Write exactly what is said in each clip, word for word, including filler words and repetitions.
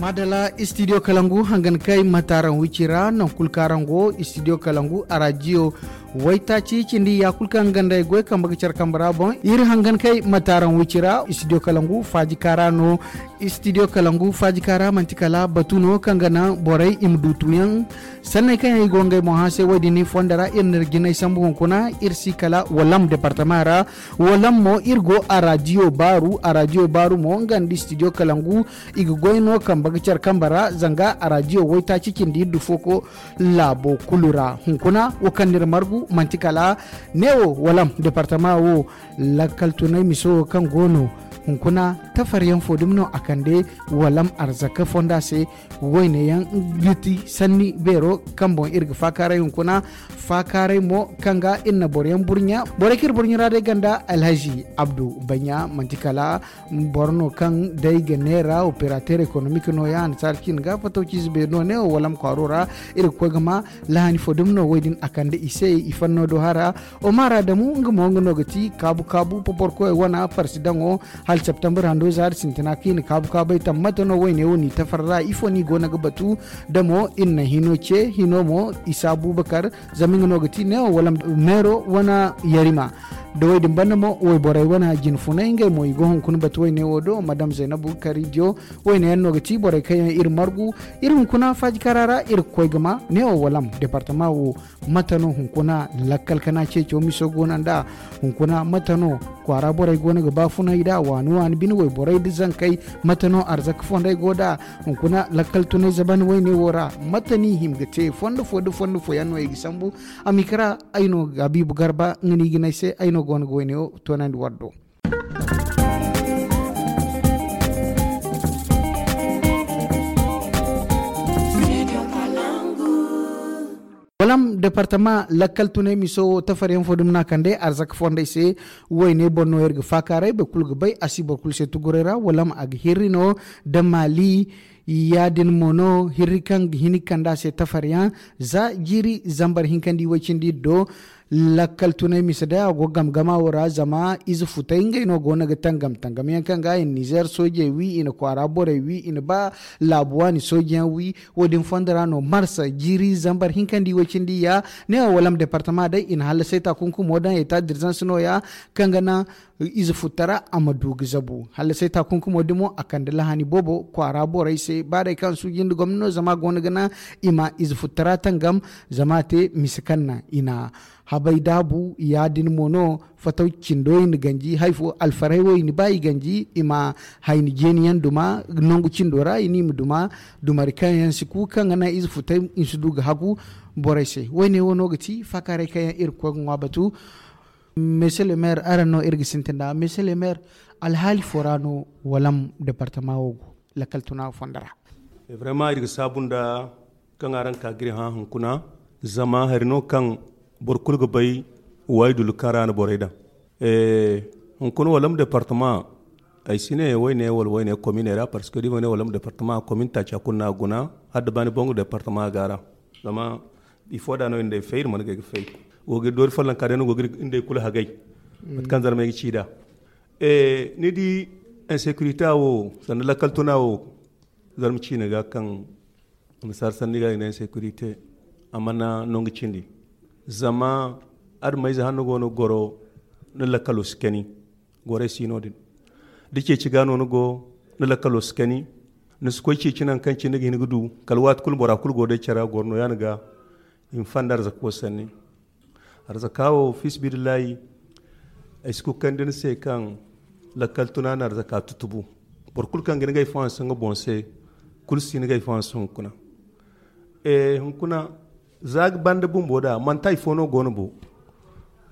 Adala studio kalangu hangan kay mataaran wici ra, non kulu kaŋ araŋ go studio kalangu a radio waytaaci cindi ya kulu kaŋ ganda ay goy kambe ga care kambe ra boŋ. Iri hangan kay mataaran wici ra studio kalangu faaji kaara no. Studio kalangu faaji kaara manti kala batu no kaŋ ga naŋ borey i ma du tuyaŋ sanney kaŋ yaŋ i go ngey boŋ hã se. Wo- din ni fonda ra iri n'iri jinay sambu hunkuna iri si kala walam departama ra. Walam mo iri go a radio baaru a radio baaru mo nga nda studio kalangu i ga goy no kambe ga care kambe ra zanga a radio waytaaci cindi iri du foko laabo kulu ra hunkuna wo kaŋ n'iri margu manti kala neewo walam departama wo. Lakkal tunay miso wo kaŋ go no hunkuna tafaryaŋ fo dumi no a kande walam arzaka fonda se. Wayne yaŋ ga ti sanni beero kaŋ boŋ iri ga faakaaray hunkuna faakaaray mo kaŋ ga iri na boro yaŋ burɲa borey kaŋ iri burɲa ra day ganda alhazi abdu baɲa manti kala boro no kaŋ day ga neera operateur économique no ya annasaara ciine ga fatawciize beeri no neewo walam kwaaro ra. Iri ga koy ga ma lahani fo dumi no wo- din a kande i se i fanno do hara. Omar adamu nga mo nga no ga ti kaabu kaabu poporkoy wana parsidaŋo hala septembre hando zaari sintina kaŋ i na kaabu kaabay tammata no wayne wo n'i tafar ra ifo no i go no ga batu. Da mo iri na hino ce hino mo isa abubakar zama nga no ga ti neewo wala meero wana yarima. Da wo- din banda mo wayborey wana jinfunay ngey mo i go hunkuna batu wayne wo do madam zaynabu karidiyo. Wayne yaŋ no ga ti borey kaŋ yaŋ iri margu iri hunkuna faaji kara ra iri ga koy ga ma neewo walam departama wo. Mate no hunkuna lakkal kana ceeco miso go no nd'a? Hunkuna mate no kwaara borey go no ga baafunay nd'a waani waani bine wayborey nda zankey? Mate no arzaka fondey go nd'a hunkuna lakkal tunay zaban wayne wo ra? Mate no i hima ga te fondo fo nda fondo fo yaŋ no i ga sambu? A ma i kara ay no ga habiibu garba nga no i ga ne ay se ay no go no ga wayne wo toonandi war do. Walam departama lakkal tunay miso wo tafaryaŋ fo dumi no a kande arzaka fondey se. Wayne boŋ no iri ga faakaaray boro kulu ga bay a si boro kulu se tuguray ra walam a ga hirri no da maali. Ya- din mo no hirri kaŋ ga hin ga kande a se tafaryaŋ za jiiri zambar hinkandi way cindi iri do. Lakkal tunay mise day a go gamgama wo ra zama ize futay ngey no go no ga tangam tangam yaŋ kaŋ ga i na nizer soojey wi i na kwaara borey wi i na ba laabu waani sooji yaŋ wi. Wo- din fondo ra no marsa jiiri zambar hinkandi way cindi ya ne wo walam departama day i na hallasay taakunkumo daŋ eta dirzanse no- ya kaŋ ga naŋ ize futtara a ma du ga zabu hallasay taakunkumo dimo a kande lahani boobo kwaara borey se ba day kaŋ suuji nda gomni no zama a go no ga naŋ i ma ize futtara tangam. Zama a te mise kaŋ naŋ i na habay daabu ya- din mo no fataw cindo i na ganji hari fo alfarey wo i na ba i ganji i ma hayni jeeni yaŋ duma nangu cindo ra i na i ma duma dumari kaŋ yaŋ si ku kaŋ ga naŋ ize futay i si du ga hagu borey se. Wayne wo no ga ti faakaaray kaŋ yaŋ iri ga koy ga ŋwa batu. Monsieur le maire araŋ no iri ga sintin nd'a monsieur le maire alhaali fo ra no walam departama wo go lakkal tuna fondo ra? Vraiment iri ga saabu nda kaŋ araŋ ka ga iri hã hunkuna zama hari no kaŋ boro kulu ga bay waydul kaŋ ra no borey daŋ. Hunkuna walam departama ay si ne wayne wala wayne komine ra parce que da i ma ne walam departama komine taaca kulu no a guna hala da baani boŋ departama ga ra. Zama bifo da no iri nd'ey fay iri mana ga ay ga fay go ga iri doori follonka day no go ga iri nd'ey kulu hagay. Mate kaŋ zarmey ga ci nd'a ni di insécurité wo sanda lakkal tuna wo zarma ciine ga kaŋ annasaara sanni ga i ne insécurité a mana nangu cindi. Zama adameyze hanno go no goro ni lakkalo si kani. Gorey si no- din da ceeci ga no ni go ni lakkalo si kani. Ni si koy ceeci nangu kaŋ cine ga hin ga du kala waati kulu bora kulu go day care a goro no ya- din ga i ma fanda arzaka wo sanni. Arzaka wo fiisabilillahi ay si kukandi ni se kaŋ lakkal tuna na arzaka tutubu. Boro kulu kaŋ ga ni ga ay fo hanse nga boŋ se kulu si ni ga ay fo hanse hunkuna. Hunkuna za ga banda bumbo da manti hari fo no go no bo.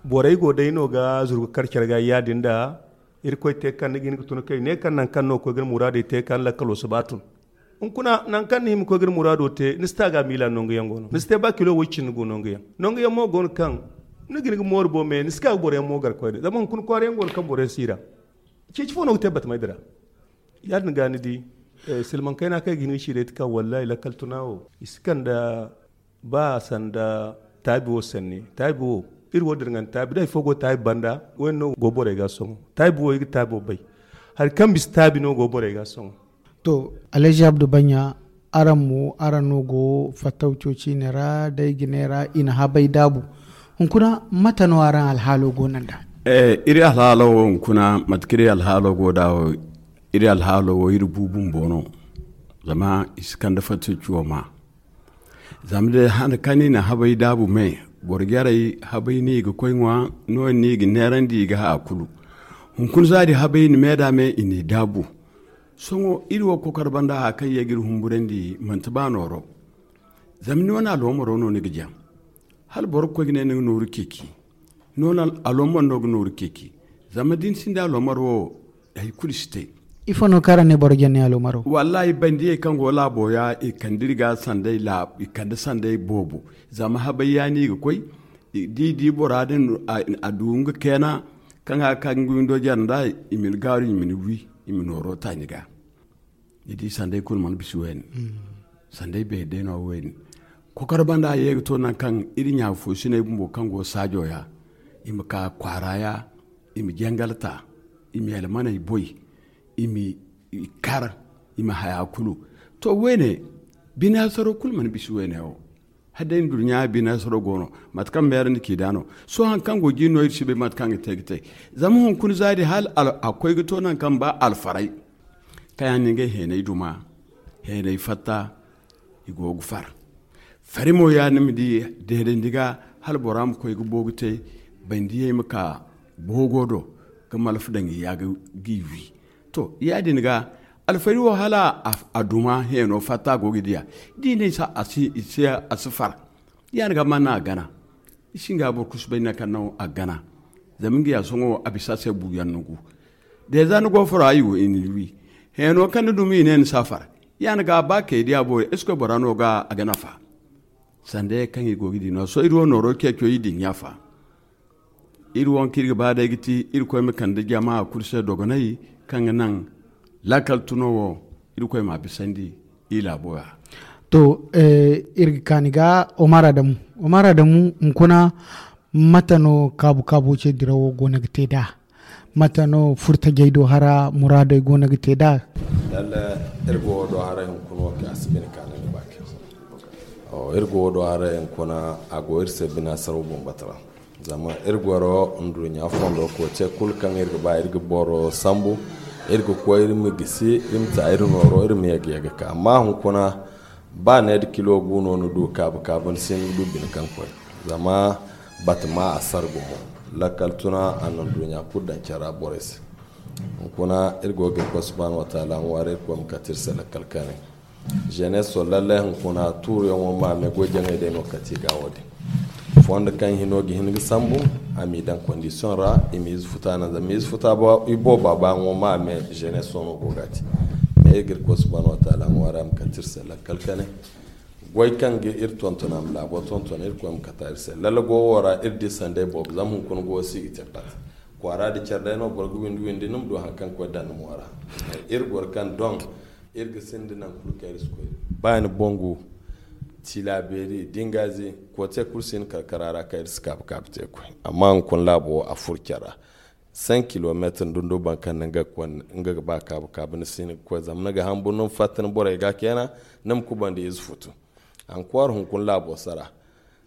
Borey go day no ga zuru ga kar care ga ya- din da irkoy te kaŋ ni ga hin ga tun kay ne kaŋ nangu kaŋ no ga koy ga ni muraadey te kaŋ ni lakkalo si ba tun. Hunkuna nangu kaŋ ni hima ga koy ga ni muraado te ni si te a ga miila nangu yaŋ go no ni si te ba kilo way cindi gu nangu yaŋ nangu yaŋ mo go no kaŋ ni ga hin ga mooru bo me ni si ka ga boro yaŋ mo gar koyne zama hunkuna kwaara yaŋ go no kaŋ boro yaŋ si i ra. Ceeci fo no ga te batamay dira. Ya- din ga ni di silmaŋ kayna kaŋ ay ga hin ga ci day ti kaŋ wallahi lakkal tuna wo i si kande ba sanda taabi wo sanni taabi wo iri wo dirŋandi taabi da hari fo go taabi banda wayne no go borey ga sohõ taabi wo i ga taabi wo bay. Hari kaŋ bisa taabi no go borey ga sohõ. To, Alhaji Abdu Banya, araŋ mo, araŋ no go fattaw cooci ne ra, day ga ne ra, i na habay daabu. Hunkuna, mate no araŋ alhaalo go nanda? Eh, iri alhaalo wo hunkuna, mate kaŋ iri alhaalo go da wo, iri alhaalo wo, iri bu bumbo no. Zama i si kande fatta cuwa ma. Zama day han kaŋ i na habay daabu me, boro jarey habay no i ga koy ŋwa, no-din no i ga neerandi i ga haya kulu. Hunkuna za din habay i na me da me i n'i daabu. Sohõ iri wo kokor banda haya kaŋ ye ga iri humburandi manti ba nooro. Zama ni wane aloomaro no ni ga jaŋ. Hala boro ga koy ga ne ni ga nooru ceeci. Noona aloomaro no ga nooru ceeci. Zama da ni sinda aloomaro wo, hari kulu si te. Ifo no kaŋ araŋ ne boro jaŋ ni aloomaro? Wallahi, bandiyey kaŋ go laabo ya, i kande iri ga sanday la, i kande sanday boobo. Zama habay ya no i ga koy, i, da i di bora din, a, a du nga keena, kaŋ a ka nga windo jare nda, i ma ni gaaru, i ma ni wi, i ma nooro ta ni ga. Ni di sanday kulu mana bisa wayne. Sanday beeri day no wayne. Kokor banda ye ga to nangu kaŋ iri ɲa fo sinay bumbo kaŋ go saajo ya, i ma ka kwaara ya, i ma jangal ta, i ma yalmaney boy, i ma i kar, i ma haya kulu. To, wayne, binaasaro kulu mana bisa wayne wo. Hala day nduɲɲa binaasaro go no, mate kaŋ meerandi k'i da no. Sohõ haŋ kaŋ go jin no, iri si bay mate kaŋ ga te ga te. Zama hunkuna za din hala al-, a koy ga to nangu kaŋ ba alfaray. Kaŋ yaŋ no ngey heenay duma, heenay fatta, i go ga far. Fari mo ya ni ma di deedandi ga, hala bora ma koy ga boogu te, bandiyey ma ka boogo do, ga malfa daŋ i ya ga, g'i wi. To, ya-din ga, alfari wo hala a, a duma heeno fatta go ga diya. D'i ne sa, a si, i si, a si far. Ya-din ga mana a gana. I si nga boro kusu bay nangu kaŋ no a gana. Zama nga ya sohõ a bisa se buuyaŋ no gu. Da za ni go furo, ay wo, i na ni wi. Heeno kaŋ ni dumi, i ne ni si a far. Ya-din ga ba kay diya boori, est-ce que bora no ga a ga nafa? Sanda ye kaŋ i go ga di no. Sohõ iri wo nooro ceeco i dinya fa. Iri wo kaŋ iri ga ba day ga ti, Irkoy ma kande jama kulu se dogonay kaŋ ga naŋ laakal tuno wo, Irkoy ma a bisandi i laabo ra. To, eh, iri ga kaani ga Omar Adamu. Omar Adamu, hunkuna, mate no kaabu-kaabo ce dirawo go no ga te nd'a? Mate no furtajey do hara muraadey go no ga te nd'a? Lalle, iri go do hara hunkuna wo kaŋ a si bine kaani ga ba kaŋ. Oh, iri go do hara hunkuna, a go iri se binaasaraw bambata ra. Zama iri goro nduɲɲa fondo kote kulu kaŋ iri ga ba iri ga boro sambu, iri ga koy iri ma gisi, iri ma ta iri nooro, iri ma yega yega ka. Amma hunkuna, ba ne da kilo gu no ni du kaabu kaabu, ni si ni ga du bine kaŋ koy. Zama batama a sara gumo. Lakkal tuna a na nduɲɲa kulu daŋ care ra borey se. Hunkuna iri go ga Irkoy Subhanahu wa Taala ŋwaari, Irkoy ma kate iri se lakkal kanay. Jeunesse o lallai hunkuna tuuriyaŋo ma me goy jaŋay day no kati ga wo-din. Fondo kaŋ hino ga hin ga sambu, a m'i daŋ condition ra, i ma ize futa naŋ, zama ize futa ba, i booba baayaŋo ma me jeunesse o no go ga ti. Mais iri ga Irkoy Subhanahu wa Taala ŋwaari a ma kate iri se lakkal kane. Goy kaŋ ga iri tonton a ma laabo tonton, Irkoy ma kata iri se. Lalla go wo ra iri di sanday boobo, zama hunkuna go si ga te pat. Kwaara da care day no boro ga windi windi, ni ma du haŋ kaŋ koy daŋ ni mo ra. Iri goro kaŋ doŋ iri ga sinda nangu kulu kaŋ iri si koy. Ba ni bongu, tilabeeri, dingazi, kote kulu si hin karkara ra kaŋ iri si kaabu kaabu te koy. Amma hunkuna laabo wo a furo care ra. Cinq kilomètres ndundo boro kaŋ no nga ga ba kaabu kaabu ni si hin ga koy, zama ni ga hamburu ni ma fatta ni borey ga keena, ni ma kubandi ize futu. Encore hunkuna laabo sara.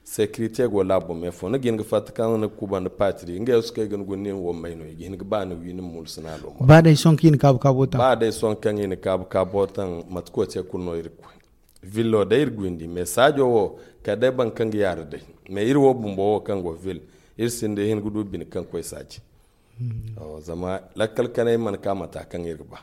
Sécurité go laabo me fo, ni ga hin ga fatta kaŋ ni ga kubandi patiri, ngey wo si kay ga ni guna ni wo may no, i ga hin ga ba ni wi ni ma mulu sina lo mo. Ba day sohõ kaŋ i na kaabu kaabo taŋ. Ba day sohõ kaŋ i na kaabu kaabo taŋ, mate koy te kulu no iri ga koy. Ville wo day iri ga windi, mais saajo wo kala day boro kaŋ ga yaara day. Mais iri wo bumbo wo kaŋ go ville, iri sinda hin ga du bine kaŋ koy saaji. Zama lakkal kanay mana ka mata kaŋ iri ga ba.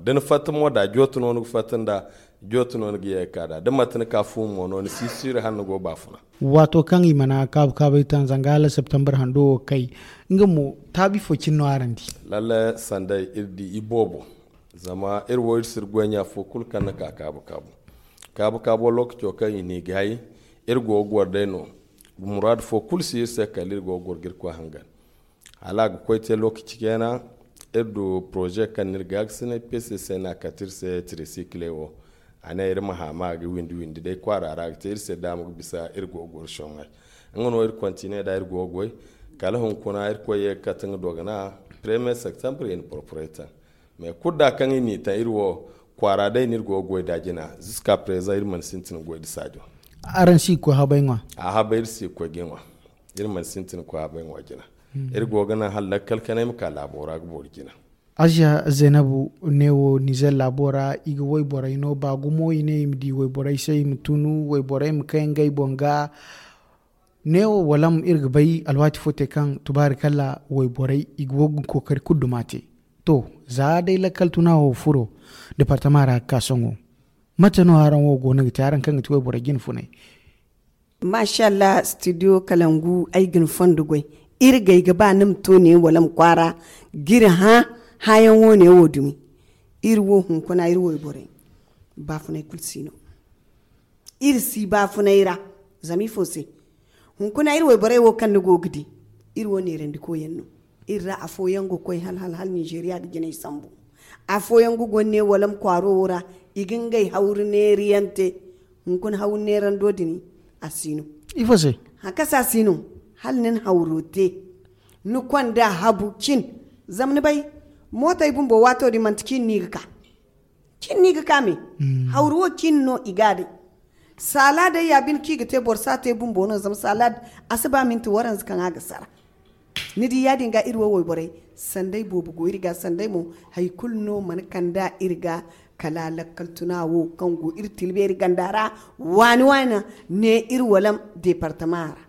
Da ni fatta mo da jooto no ni ga fatta nda, jooto no ni ga ye ga ka da da mate ni ka fu mo no ni si siiri hala ni go baafuna. Waato kaŋ i mana kaabu kaabay taŋ zanga hala septembre hando wo kay, nga mo taabi fo cine no araŋ di? Lalle sanday iri di i boobo. Zama iri wo iri si iri goy ɲa fo kulu kaŋ ni ka kaabu kaabu. Kaabu kaabo lookaco kaŋ i n'i gaayi, iri go ga goro day no. Muraadu fo kulu si iri se kala iri go ga goro ga iri koy hangan. Hala a ga koy te lookaci kayna, iri du poroze kaŋ no iri ga ga sinay P C C no a kate iri se tirisikile wo. A ne iri ma hama a ga windi windi day kwaara ra a ga te iri se daama ga bisa iri go ga goro soŋay. Nga no iri kontine da iri go ga goy kala hunkuna iri koy ye ga kate nga dogana premier septembre i na porporey taŋ. Mais kulu da kaŋ i n'i taŋ iri wo Kwaara day no iri go ga goy nd'a jina. Ziska prezan iri mana sintin ga goy nda saajo. Araŋ si ga koy habay ŋwa? A habay iri si ga koy ga ŋwa. Iri mana sintin ga koy habay ŋwa jina. Iri go ga naŋ hala lakkal kanay ma ka laabo ra ga boori jina. Aziya Zaynabu, neewo Nizer laabo ra i ga wayborey no ba gumo, i ne i ma di wayborey se, i ma tunu wayborey ma kay ngey boŋ ga. Neewo walam iri ga bay alwaati fo te kaŋ tubaari kala wayborey i go ga kookari kulu duma te. To, za day lakkal tuna wo furo departama ra ga ka sohõ, mate no araŋ wo go no ga te, araŋ kaŋ ga ti wayborey jine funay? Mashallah, studio kalangu ay ga ni fondo goy. Iri gay ga ba ni ma to ne wala ma kwaara ga iri hã hãyaŋo ne wo dumi. Iri wo hunkuna iri wayborey baafunay kulu si no. Iri si baafunay ra. Zama ifo se? Hunkuna iri wayborey wo kaŋ ni go ga di, iri wo neerandikoyaŋ no. Iri ra afooyaŋ ga koy hal hal hal ninzeeriya ga jinay sambu. Afooyaŋ ga gonne wala ma kwaaro wo ra, i ga ngey hawru neeriyaŋ te. Hunkuna hawru neerando din a si no. Ifo se? Hakasa si no. Hala ni na hawro te, ni konda habu cin. Zama ni bay, mootey bumbo waato din manti cin no i ga ka. Cin no i ga ka me. Hawru wo cin no i ga a day. Saala day ya bine kaŋ i ga te boro si a te bumbo no, zama saala a si ba minti waranza kaŋ a ga sara. Ni di, ya-din ga iri wo wayborey, sanday boobo go iri ga, sanday mo hari kulu no mana kand'a iri ga. Kala lakkal tuna wo kaŋ go iri tilbeeri ganda ra, waani waani ne iri walam departama ra.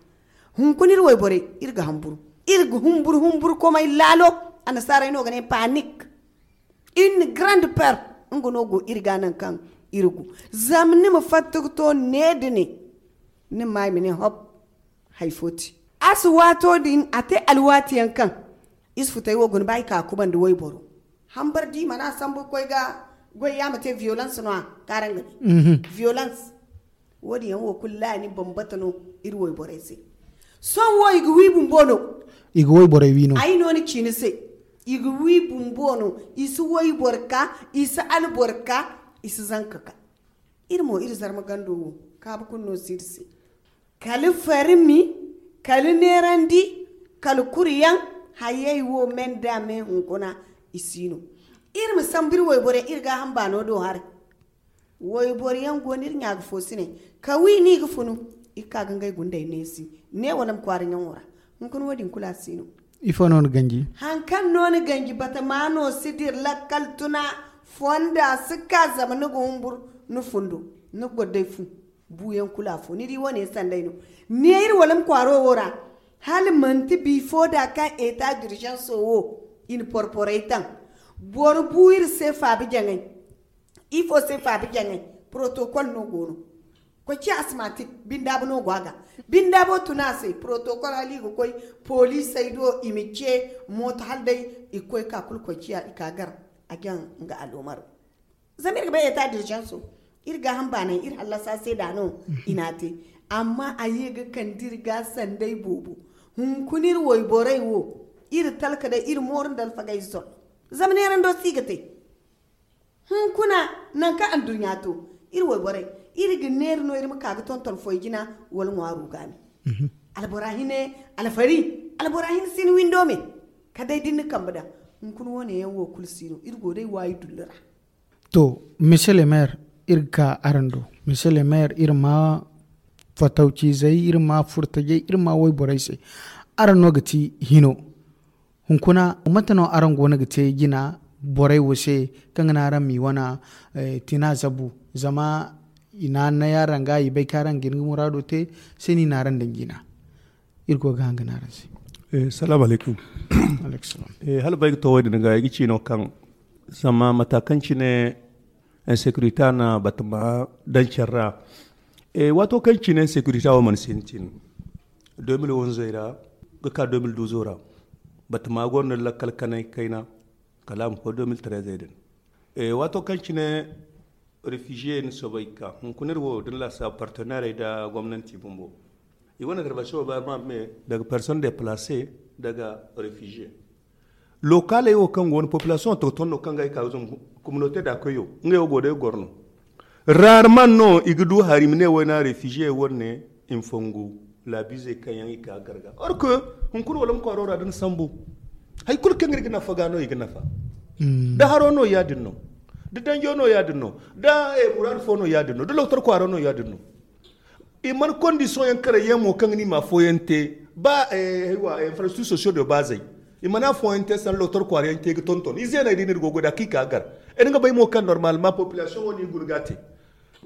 Hunkuna iri wayborey, iri ga hamburu, iri ga humburu humburu komay laalo. Annasaarey no ga ne panik. Une grande peur. Nga no go iri ga naŋ kaŋ iri go. Zama ni ma fatta ga to ne da ne, ni ma i ma ne hop, hari fo ti. A si waato din a te alwaatiyaŋ kaŋ isi futay wo guna ba i ka kubandi wayboro. Hambar di mana sambu ga koy ga goy ya ma te violence no a kaaraŋ ga ne. Violence. Wo-din yaŋ wo kulu laani bambata no iri wayborey se. Sohõ wo i ga wi bumbo no. I ga wayborey wi no. Ay no ni ci ni se. I ga wi bumbo no. I si wayboro ka, i si alboro ka, i si zanka ka. Iri mo iri zarma gando wo kaabu kulu no si iri se. Kala farmi, kala neerandi, kala kuriyaŋ. Hayey wo me nda me hunkuna i si no. Iri ma sambu iri wayborey iri ga hamba no do haray. Wayboro yaŋ go no iri ɲa ga fo si ne ka wi no i ga funu. I ga ka ga ngey gundey neesi ne wala ma kwaara ɲaŋo ra. Hunkuna wo-din kulu a si no. Ifo no ni ganji? Haŋ kaŋ no ni ganji batama no si dira lakkal tuna fonda si ka zama ni ga humburu ni fundo ni ga goro day fu. Buuyaŋ kulu afo ni di wane sanday no. Ne iri wala ma kwaaro wo ra hala manti bifo da kaŋ eta d'urgence wo i na porporey taŋ. Boro bu iri se faabi jaŋay. Ifo se faabi jaŋay? Protocol no go no. Koy ciya asmatik bindaabu no go a ga. Bindaabu tuna a se protocol hala i ga koy poliisey do i ma ce mooto hala day i ga koy ka kulu koy ciya i ka gar a jaŋ. Nga aloomaro. Zama iri ga bay eta d'urgence iri ga hamba naŋ iri hallasa se da no i na a te. Amma a ye ga kande iri ga sanday boobo. Hunkuna iri wayborey wo iri talka day iri mooru nda alfagey zor. Zama neerando si ga te. Hunkuna nankaŋ anduɲɲa to iri wayborey iri ga neera no iri ma ka ga tonton foy jina wala ŋwaaro ga me. Albora hine alfari albora hine si ni windo me ka day da ni na kambe daŋ. Hunkuna wo- ne yaŋ wo kulu si no iri go day waayi dullu ra. To, monsieur le maire, iri ga ka araŋ do. Monsieur le maire, iri ma fatawcizey, iri ma furtajey, iri ma wayborey se. Araŋ no ga ti hino. Hunkuna mate no araŋ go no ga te jina borey wo se kaŋ ga naŋ araŋ m'i wane tina zabu? Zama i na annay araŋ ga i bay kaŋ araŋ ga hin ga muraado te se no i na araŋ daŋ jina. Iri go ga haŋ ga ne araŋ se. Salaamu alaykum. Hala ba ay ga to wo- din ga ay ga ci no kaŋ zama mata kaŋ cine insécurité a na batama daŋ care ra. Waato kaŋ cine insécurité wo mana sintin deux mille onze ra ga ka deux mille douze ra. Batama gonda lakkal kanay kayna kala a ma koy deux mille treize din. Waato kaŋ cine réfugié ni soobay ga ka hunkuna iri wo da ni laasaabu partenairey nda gomnanti bumbo. I wane intervention wo ba ma me daga personne déplacée daga réfugié. Localey wo kaŋ go no population wo tonton no kaŋ ga ay ka zama communauté da koyo ngey wo go day goro no. Rarement no i ga du hari i ma ne wayna réfugié wane i ma fongu labizey kaŋ yaŋ i ka garga or que hunkuna wala ma kwaaro ra da ni sambu. Hari kulu kaŋ iri ga nafa ga no i ga nafa. Da haro no ya- din no. Da danjo no ya-din no, da muraadu fo no ya-din no, da loktor kwaaro no ya-din no. I mana kondisiyoŋ yaŋ kare yaŋ mo kaŋ ga ni ma afooyaŋ te. Ba infrastructure sociaux de base, i mana afooyaŋ te sanda loktor kwaara yaŋ te ga tonton i zeeney da i na iri go goy da kaŋ i ka gar. Iri ga bay mo kaŋ normalement population wo no i guna ga te.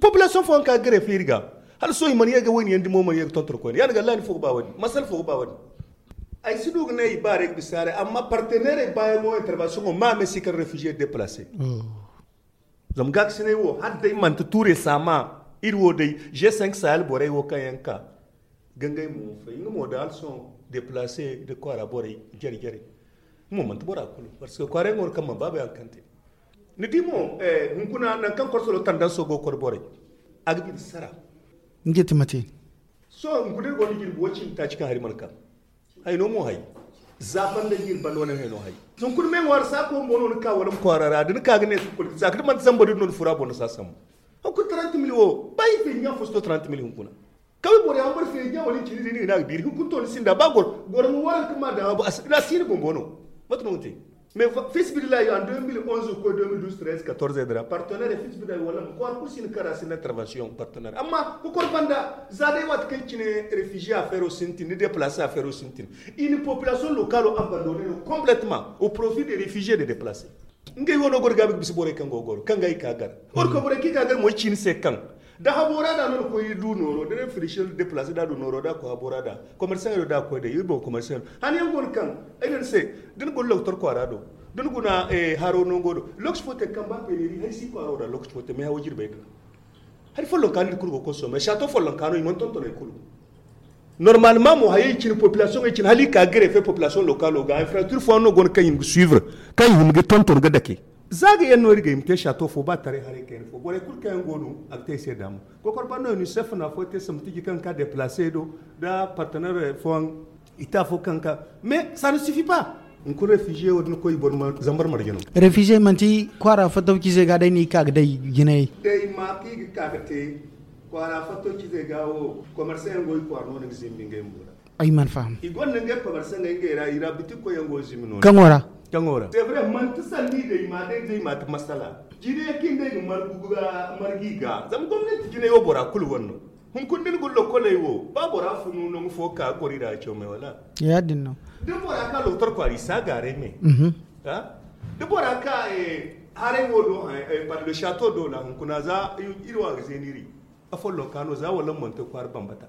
Population fooyaŋ ka gare feeri ga, hala sohõ i mana ye ga wayna yaŋ dimo mana ye ga tonton koyne ya-din ga allah ni fo ga ba wani masala fo ga ba wani. Ay si du ga ne i baarey ga bisa haray amma partenairey baayaŋo intervention o ma me si kar réfugié déplacé. Zama gaakasinay wo hala day manti tuure saama iri wo day g cinq sahel borey wo kaŋ yaŋ ka ga ngey mo fay nga mo da hala sohõ déplacé da kwaara borey jare jare. Nga mo manti bora kulu parce que kwaarey nga wo kaŋ mana baaba yaŋ kaŋ te. Ni di mo hunkuna nangu kaŋ korsolo tandanso go ga kor borey a ga bine sara. Nga ti mate. Sohõ hunkuna iri go no jirbi wo cindi taaci kaŋ hari mana kaŋ. Hayno mo hay. Za banda jirbi banda wane hayno hay. Hunkuna me ŋwaari saako bumbo no ni ka wala ma kwaara ra da ni ka ga ne za ka da manti zamba din no ni fura boŋ ni si a sambu. Hunkuna trente mille wo ba iri feeji ɲa fo si to trente mille hunkuna. Kawai boro yaŋ boro feeji ɲa wala i cindi din i ga ne a ga biiri hunkuna to ni sinda ba goro goro ma waranka ma daŋ a bo a si ni bumbo no. Mate no ga te. Mais fisibilillah yo en deux mille onze koy deux mille douze treize quatorze dira partenaire fisibilillah wala ma kwaara kulu si ni kara si ni intervention partenaire amma kokor banda za day waati kaŋ cine réfugié affaire o sintin ni déplacé affaire o sintin. I na population locale o abandonné no complètement au profit des réfugiés de déplacé. Ngey wo no goro gaabi ga bisa borey kaŋ go goro kaŋ ga i ka gar. Or ko borey kaŋ i ka gar mo i ci ni se kaŋ da habo ra da no ni koy du nooro da ne frichel déplacé da du nooro da ko habo ra da commerçant do da koy day iri boŋ commerçant. Hani yaŋ go no kaŋ ay ne ni se da ni guna loktor kwaara do da ni guna haro nango do lokaci fo te kaŋ ba peyneri hari si kwaaro da lokaci fo te mais hawo jirbey din. Hari follonka no iri kulu go consommé château follonka no i mana tontoney kulu. Normalement mo hayey cine population ey cine hala i ka greffe population locale o ga infrastructure fo no go no kaŋ i ma ga suivre kaŋ i hima ga tonton ga dake. Za ga yaŋ no iri ga i ma te château fo ba taray haray kayna fo borey kulu kaŋ yaŋ go no a ga te i se daama. Kokor banda no unicef no afo te samtiji kaŋ ka déplacé do da partenaire fooyaŋ. Ita fo kaŋ ka mais ça ne suffit pas. Hunkuna réfugié wo din koy boro zambar marje no. Réfugié manti kwaara fattaw cize ga day ni ka ga day jinay. Day ma ki ga ka ga te kwaara fattaw cize ga wo commerçant yaŋ go i kwaara no ni ga zimbi ngey mbo ra. Ay man faham. I gonda ngey commerçant ngey ngey ra i ra bitik koy yaŋ go zimbi no. Kaŋo ra? Kaŋo ra c'est vrai manti sanni day ma day day ma ta masala. Jine kin day ga margu ga margi ga zama gomnati jine wo bora kulu wanno. Hunkuna din gullo koley wo ba bora funu nangu fo ka gori da comey wala. Ya din no. Da bora ka loktor kwari sa gare me. Da bora ka haray wo do par le château do la hunkuna za iri wa ga zeniri. Afollo kano za wala monte kwari bambata.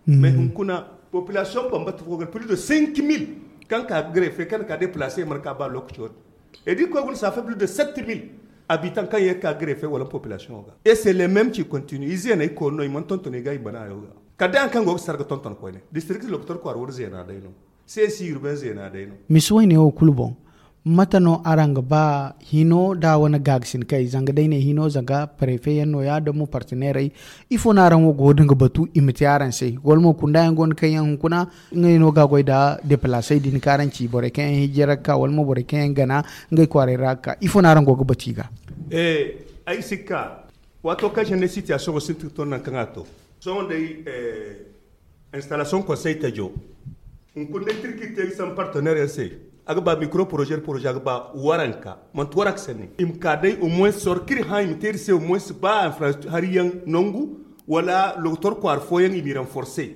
Mais hunkuna population bambata fo plus de cinq mille kan ka greffe kan ka déplacer marka ba lokaci wata. Et di koy guna ça fait plus de sept mille habitants kaŋ ye ka greffe wala population ga et c'est les mêmes qui continue i zeeney koy no i mana tonton i ga i bana yo ga. Kala day haŋ kaŋ go ga sarga tonton koyne district docteur kwar wala zeena day no. Sesi urbain zeena day no. Misi wayne wo kulu boŋ. Mate no araŋ ga ba hino da wane gaagasin kay zanga day ne hino zanga préfet yaŋ no ya da mo partenairey? Ifo no araŋ wo go din ga batu i ma te araŋ se wala mo kunda yaŋ go no kaŋ yaŋ hunkuna? Ngey no ga goy da déplacé din kaŋ araŋ ci borey kaŋ yaŋ hijira ga ka wala mo borey kaŋ yaŋ gana ngey kwaaray ra ga ka ifo no araŋ go ga batu i ga? Ay si ga ka waato kaŋ se ne situation go sintin ton nangu kaŋ a to sohõ day. Installation conseil tajo hunkuna day tirki te ga sambu partenaire yaŋ se. A ga ba micro projet projet a ga ba waranka manti waranka sanni i ma ka day au moins sorkir hã i ma te iri se au moins ba infrastructure hari yaŋ nangu wala lokotor kwaara fooyaŋ i m'i renforcer.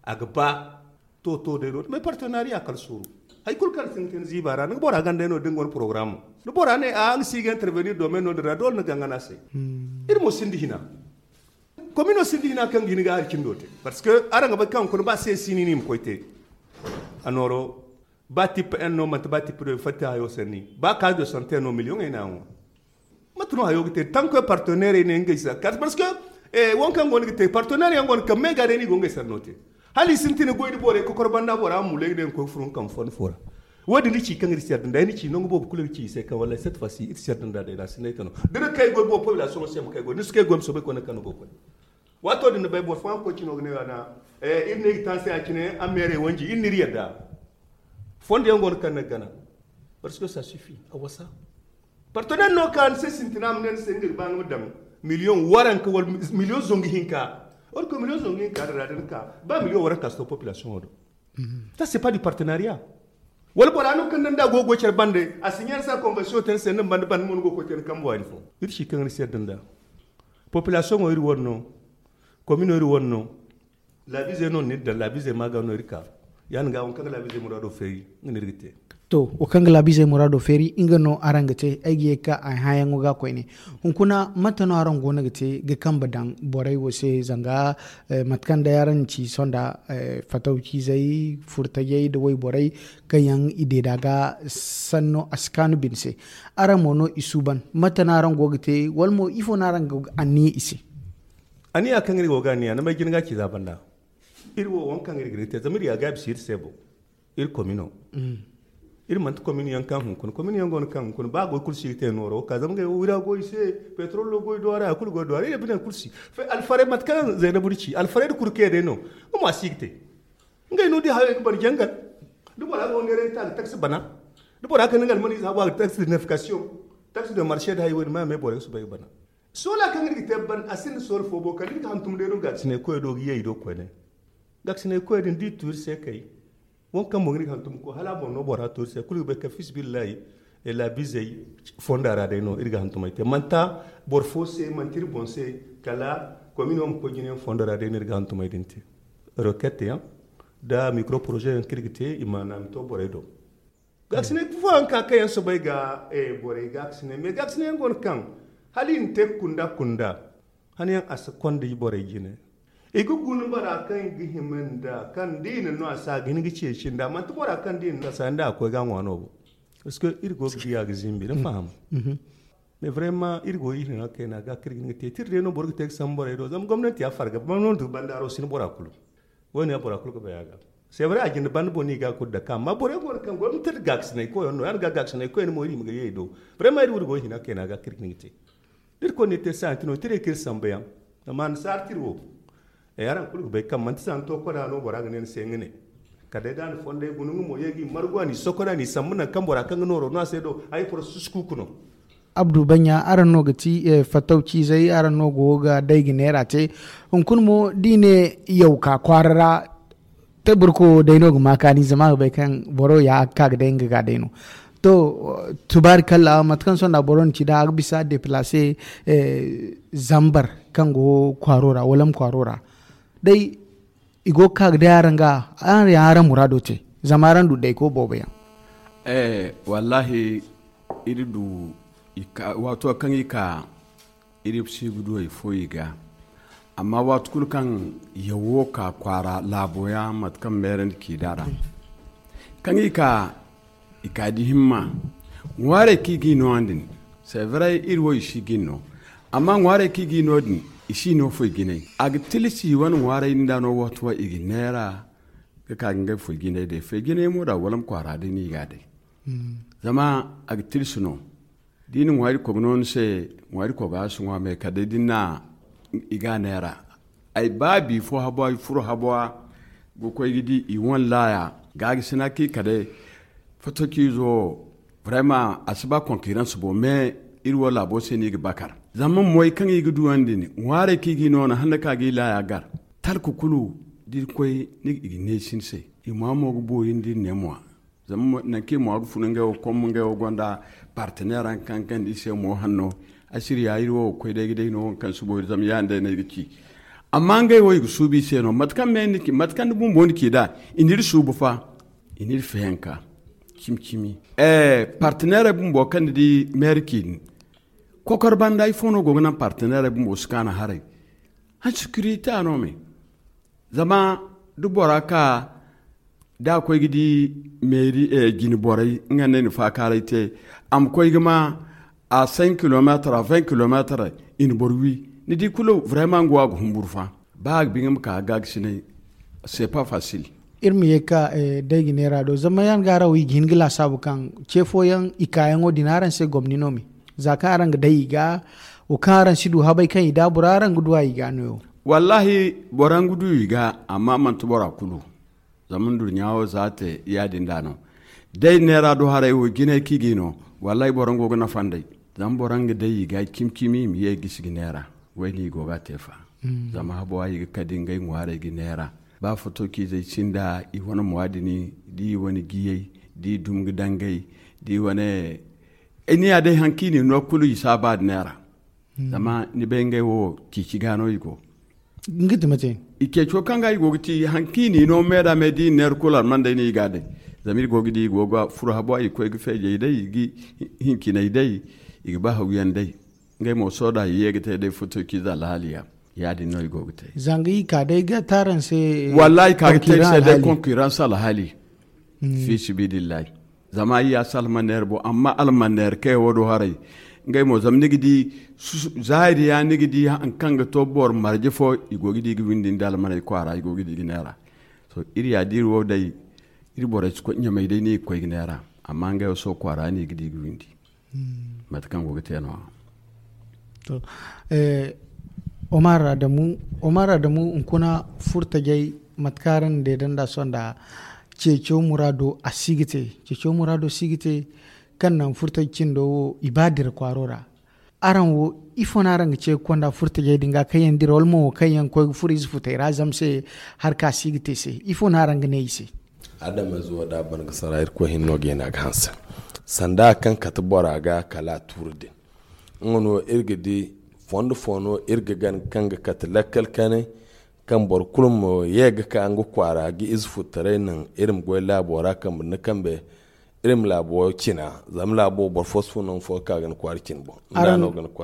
A ga ba to to day no mais partenariat kala suuru. Hari kulu kaŋ sintin ziiba ra ni ga bora ganda no da ni go ni programme ni bora ne a nga si ga intervenir domaine no din ra doole ni gangana se. Iri mo sinda hina. Komino sinda hina kaŋ ga hin ga hari cindo te parce que araŋ ga bay kaŋ kuna ba se sini ni ma koy te. A nooro ba tippe en no manti ba tippe do fatta hayo sanni ba ka do sante no million ay na ŋwa. Mate no hayo ga te tanko partenaire ne ngey sa kat parce que won kaŋ go ni ga te partenaire yaŋ go ni kaŋ me ga day ni go ngey sanno te. Hala i sintin goy da borey kokor banda bora ma mulay ga day koy furun kaŋ fon fora. Wo-din ni ci kaŋ iri si yadda nda ay ni ci nangu boobo kulu iri ci i se kaŋ wallahi cette fois ci iri si yadda nda day da si nay tano da ni kay goy boobo population se ma kay goy ni si kay goy ma soobay koy ni kaŋ ni go koy. Waato din ni bay boro fooyaŋ koy cino ga ne wana iri ne ga taasi a cine a meerey wanji iri n'iri yadda. Fondo yaŋ go no kaŋ ni ga gana parce que ça suffit a wasa. Partenaire no ka ni se sintina ma ne ni se nga ga ba nga ma daŋ million waranka wala million zongu hinka. Or que million zongu hinka din ra da ni ka ba million waranka si to population wo do. Ça c'est pas du partenariat. Wala bora no kaŋ nda go ga goy care bande, a si ɲaari se a konvensiyoŋ te ni se ni bande bande mo ni go ga koy te ni kambe waani fo. Iri si kaŋ iri se yadda nda populasiyoŋo iri wane no. Komino iri wane no. Laabiizey no ni iri daŋ laabiizey ma ga no iri ka. Ya- din ga wo kaŋ ga laabiizey muraado feeri nga no iri ga te. To, wo kaŋ ga laabiizey muraado feeri nga no araŋ ga te. Ay ga ye ga ka ay hãayaŋo ga koyne. Hunkuna mate no araŋ go no ga te ga kambe daŋ borey wo se zanga mate kaŋ day araŋ ci sonda, fatawciizey, furtajey nda wayborey kaŋ yaŋ i deeda ga sanno a si kaanu bine se. Araŋ mo no i suuban mate no araŋ go ga te wala mo ifo no araŋ go ga anniya i se? Anniya kaŋ iri go ga anniya ni may jina ga ci za banda. Iri wo waŋ kaŋ iri ga ni te zama iri ya gaabi si iri se boŋ. Iri komino. Iri manti komini yaŋ kaŋ hunkuna komini yaŋ go no kaŋ hunkuna ba goy kulu si ga te nooro ka zama ngey wo wira goy se. Petrolo goy do a ra a kulu goy do a ra iri bine kulu si. Alfaray mate kaŋ zaynabu ni ci alfaray da kurke day no. Nga mo a si ga te. Ngey no di hayo ga bari jangal. Da bora ga wo neeray ta ga taksi bana. Da bora ga ne nga almani za ba ga taksi de nefkasiyoŋ. Taksi de marse da hayo wo ni ma me bora ga subay ga bana. Soola kaŋ iri ga te ban a sinda soola fo bo kala iri ga hantum day no gaakasinay koyo do ga yay do koyne. Gaakasinay koyo din da i tu iri se kay. Waŋ kaŋ mo ga iri ga hantum ga koy hala a boŋ no bora tu iri se kulu ga bay kala fisibillahi. Laabizey fonda ra day no iri ga hantumay te manta boro fo se manti iri boŋ se. Kala komino ma koy jinayaŋ fonda ra day no iri ga hantumay din te. Rokette yaŋ da mikro poroze yaŋ kaŋ iri ga te i ma naami to borey do. Gaakasinay fo yaŋ ka kaŋ yaŋ soobay ga borey gaakasinay mais gaakasinay yaŋ go no kaŋ hala i na te kunda kunda. Hane yaŋ a si konda i borey jine. I ga guna bora kaŋ i ga hima nda kaŋ da i na no a si a ga hin ga ceeci nda manti bora kaŋ da i na no a si a nda a koy ga a ŋwa no bo. Parce que iri go ga di a ga zimbi ni faham. Mais vraiment iri go iri hina kayna ga kaŋ iri ga hin ga te tira day no boro ga te ga sambu borey do zama gomnanti ya farga gomnanti ga banda aro si ni bora kulu. Wo- ne ya bora kulu ga bay a ga. C'est vrai a jinde banda boŋ no i ga a kulu dake amma borey go no kaŋ gomnanti nda gaakasinay koy yaŋ no ya- din ga gaakasinay koy yaŋ mo iri ma ga ye i do. Vraiment iri wo iri go hina kayna ga kaŋ iri ga hin ga te da iri koy no iri te sayanti no tira kaŋ iri sambu yaŋ. Zama annasaara tira wo araŋ kulu ga bay kaŋ manti za ni to koda no bora ga ne ni se nga ne. Kala day da a na fondey guna nga mo ye ga i margu a n'i sokon a n'i sambu nangu kaŋ bora kaŋ ga nooro no a se do. Ay porosesus kuuku no. Abdu baɲɲa araŋ no ga ti fattaw ciizey araŋ no go ga day ga neera te. Hunkuna mo da i ne yaw ka kwaara ra. Te burko day no ga ma kaani zama a ga bay kaŋ boro ya ka ga day nga ga day no. To tubaari kalla mate kaŋ sonda boro na ci da a ga bisa deplace zambar kaŋ go kwaaro ra wala ma kwaaro ra. Day i go ga ka ga day araŋ ga araŋ ya araŋ muraado te. Zama araŋ du dayko boobo yaŋ. Wallahi iri du waato kaŋ i ka iri si ga du hari fo i ga. Amma waati kulu kaŋ yawo ka kwaara laabo yaŋ mate kaŋ meerandi k'i da ra kaŋ i ka i ka di himma. Ŋwaarey kaŋ i g'i no yaŋ din. C'est vrai iri wo i si g'i no. Amma ŋwaarey kaŋ i g'i no din i si no foy jinay a ga tilsi wane ŋwaarey din da no waati wo i ga neera ga ka ga ngey foy jinay day foy jinay mo da wala ma kwaara day no i ga a day. Zama a ga tilsi no da i na ŋwaari kogo no ni se. Ŋwaari kogo a si ŋwa me kala day da ni na i ga a neera. Ay ba bifo habo ay furo habo ga koy ga di i wane laaya. Gaagasinay kaŋ i kala day fotokiizo. Vraiment a si ba konkiransi bo mais iri wo laabo se no i ga bakar zama moy kaŋ i ga duwandi ni ŋwaarey kaŋ i ga i noona handa ka ga i laaya gar. Talka kulu da iri koy ni ga i ga neesi ni se. I ma mo ga boori nda iri ne mo zama nangu kaŋ i mo ga funa ngey wo komma ngey wo gonda partenaire yaŋ kaŋ kaŋ da i se mo hanno. Asiriya iri wo ga koy day ga day no waŋ kaŋ si boori zama ya- din day no ay ga ci. Amma ngey wo i ga suubu i se no mate kaŋ me ni ci mate kaŋ ni bumbo ni ci nd'a i n'iri suubu fa. I n'iri feyanka cimi cimi. Partenairey bumbo kaŋ ni di meeri ci din kokor banda ifo no go ga naŋ partenairey bumbo si kaanu haray. Hansi kirita no me zama da bora ka da a koy ga di meeri jine borey nga no ay na faakaaray te. A ma koy ga ma a cinq kilometre a vingt kilometre. I na boro wi ni di kulu vraiment nga wo a ga humburu fa. Ba a ga ba nga ma ka ga ga sinay. C'est pas facile. Iri ma ye ga ka day ga neera do zama yaŋ ga araŋ wo i ga hin ga laasaabu kaŋ ce fooyaŋ i kaayaŋo din araŋ se gomni no me za kaŋ araŋ ga day i ga wo kaŋ araŋ si du habay kaŋ i daabura araŋ ga du a i ga no yaŋ. Wallahi boro nga du i ga amma manti bora kulu. Zama nduruɲa wo za te ya- din da no day neera do haray wo jinay kaŋ i ga i no. Wallahi boro nga go ga nafa nd'ey zama boro nga day i ga cimi cimi i ma ye gisi ga neera. Wayne i go ga a te fa zama habo a i ga kade ngey ŋwaarey ga neera. Ba foto kaŋ izey sinda i wane muwaadini da i wane giyey Da i dum ga dangay, da i wane, ay ni ya day haŋ kaŋ i na i no kulu i si a ba da neera. Zama ni bay ngey wo ciici ga no i go. Nga ti mate. I ceeco kaŋ ga i go ga ci haŋ kaŋ i na i no me da me da i na neera kulu alman day no i ga a day. Zama iri go ga di i go ga furo habo i koy ga feejay day i ga hincinay day, i ga ba hawyaŋ day. Ngey mo soda i ye ga te day foto ciiza alhaali ya. Ya- din no i go ga te. Zanga i ka day ga taran se. Wallahi ka ga te se day concurrence alhaali. Fi sibilillahi. Zama i ya si almaneer bo amma almaneer kay wo do haray. Ngey mo zama ni ga di zahiri ya ni ga di haŋ kaŋ ga to boro marje fo i go ga di ga windi nda almaney kwaara i go ga di ga neera. So iri ya da iri wo day iri borey si koy ɲamay day no i ga koy ga neera. Amma ngey wo so kwaara no i ga di ga windi. Mate kaŋ go ga te no- ya. To, eh, omar adamu, omar adamu hunkuna furtajey mate kaŋ araŋ na deedanda sonda ceeco muraado a si ga te. Ceeco muraado si ga te kaŋ naŋ furtaje cindo wo i ba dira kwaaro ra. Araŋ wo ifo no araŋ ga ce ga konda furtajey din ga kaŋ yaŋ dira wala mo wo kaŋ yaŋ koy ga furo ize futey ra zama se harka si ga te se ifo no araŋ ga ne i se? Adama zuwa da ban ga sara irkoy hinno ga yana ga hanse sanda kaŋ kate bora ga kala a tuuri din. Nga no iri ga di fondo fo no iri ga gan kaŋ ga kate lakkal kane kaŋ boro kulu ma ye ga ka nga kwaara ga ize futtaray naŋ iri ma goy laabo ra kambe ni kambe. Iri ma laabo cina zama laabo boro fo si fun naŋ fo ga ka ga ni kwaara cina boŋ.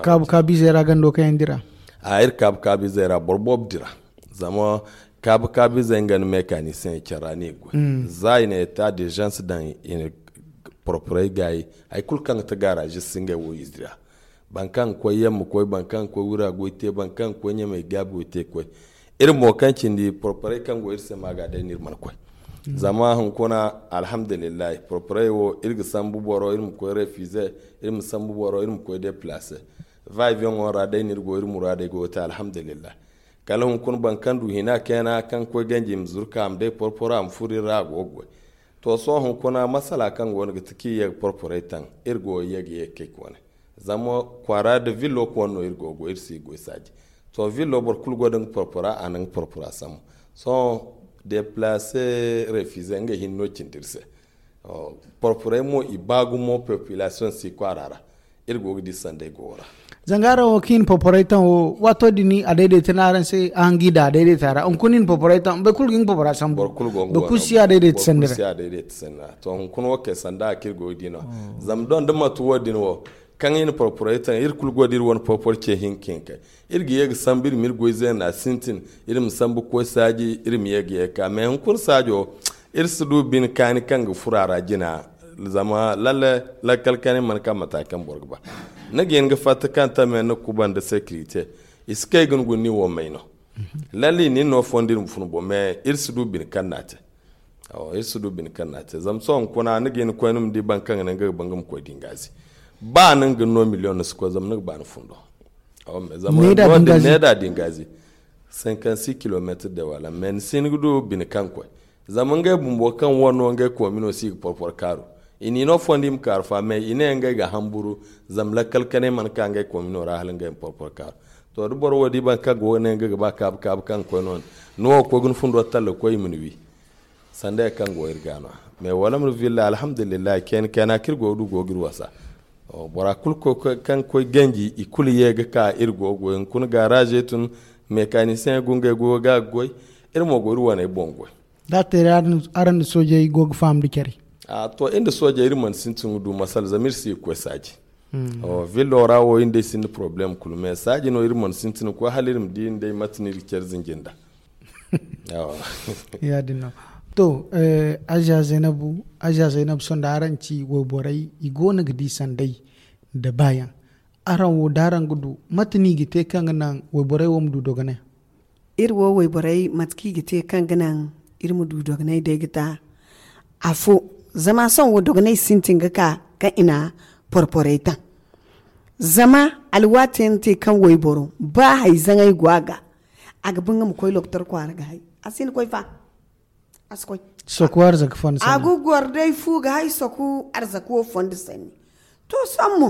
Kaabu kaabu izey ra gando kaŋ yaŋ dira. A iri kaabu kaabu izey ra boro boobo dira. Zama kaabu kaabu izey nga ni mekanisiyeŋ care ra no i ga goy za i na eta d'urgence daŋ i na porporay gaayi. Hari kulu kaŋ ga ti garage si ngey wo i dira. Boro kaŋ ga koy yamma koy boro kaŋ ga koy wura goy te boro kaŋ ga koy ɲamay gaabi goy te ga koy. Iri mo kaŋ cindi porporay kaŋ go iri se ma ga day no iri mana koy. Zama hunkuna alhamdulillahi porporay wo iri ga sambu boro iri ma koy refize. Iri ma sambu boro iri ma koy deplace. Va avion wo ra day no iri go iri muraadey go ga te alhamdulillahi. Kala hunkuna boro kaŋ du hina kayna kaŋ ga koy ganji i ma zuru ka a ma day porporo a ma furo iri ra a go ga goy. To sohõ hunkuna masala kaŋ go no ga ti kaŋ i ye ga porporay taŋ iri go ye ga ye ga kay koone. Zama kwaara da villo koone no iri go ga goy iri si ga goy saaji. To villo boro kulu go da nga porpora a na nga porpora sambu. Sohõ deplace refize nga hinne no cindi iri se. Porporay mo i ba gumo population si kwaara ra. Iri go ga di sanday go ra. Zanga araŋ wo kaŋ i na porporay taŋ wo waato din a dayday te no araŋ se a hangi da a dayday te a ra hunkuna i na porporay taŋ boro kulu ga nga porpora sambu. Boro kulu si a dayday te sanda ra. To hunkuna wo kay sanda a kaŋ iri go ga di no. Zama doŋ da matu wo din wo kaŋ i na porporay taŋ iri kulu go da iri wane porpor ce hinka hinkay. Iri ga ye ga sambu iri ma iri goy zeena sintin. Iri ma sambu ga koy saaji iri ma ye ga ye ga ka mais hunkuna saajo iri si du bine kaani kaŋ ga furo a ra jina. Zama lalle lakkal kanay mana ka mata kaŋ boro ga ba. Ni ga hin ga fatta kaŋ tame ni ga kubanda securité. I si kay ga ni guna ni wo may no. Lalle i na ni no fondo iri ma fun boŋ mais iri si du bine kaŋ no a te. Iri si du bine kaŋ no a te zama sohõ hunkuna ni ga hin ga koy ni ma di boro kaŋ ga naŋ ga ga ba nga ma koy da nga se. Ba ni nga no million ni si koy zama ni ga ba ni fundo. Zama needa da nga ze. Cinquante six kilometre de wala mais ni si hin ga du bine kaŋ koy. Zama ngey bumbo kaŋ wano ngey koomino si ga porpor kaaru. I n'i no fondo i ma kaaru fa mais i ne ngey ga hamburu. Zama lakkal kanay mana ka ngey koomino ra hala ngey ma porpor kaaru. To da boro wo di boro kaŋ go ne nga ga ba kaabu kaabu kaŋ ga koy no ni wo ga koy ga ni fundo talla ga koy i ma ni wi. Sanda ya kaŋ go iri ga no mais wala ma ni villa alhamdulillahi kayna kayna kaŋ iri go ga du go ga iri wasa. Bora kulu kaŋ ga koy ganji i kulu ye ga ka iri go ga goy hunkuna garage tun. Mécanicien go ngey go ga ga goy. Iri mo go iri wane boŋ goy. Da a te day araŋ da soojey go ga faham da care. To iri nda soojey iri mana sintin ga du masala zama iri si ga koy saaji. Villo ra wo iri nd'ey sinda problème kulu mais saaji no iri mana sintin ga koy hala iri ma di iri nd'ey mate no iri ga care zinji nda. Ya- din no. To aja zaynabu aja zaynabu sohõ da araŋ ci wayborey i go no ga di sanday nda baayaŋ. Araŋ wo da araŋ ga du mate no i ga te kaŋ ga naŋ wayborey wo ma du dogonay? Iri wo wayborey mate kaŋ i ga te kaŋ ga naŋ iri ma du dogonay day ga ta afo. Zama sohõ wo dogonay sintin ga ka kaŋ i na porporey taŋ. Zama alwaati yaŋ te kaŋ wayboro ba hari zaŋay go a ga a ga ba nga ma koy lokotor kwaara ga hay. A si hin ga koy fa. A si koy. Soku arzaka fondo sanni a ga goro day fu ga hay soku arzaka wo fondo sanni. To sohõ mo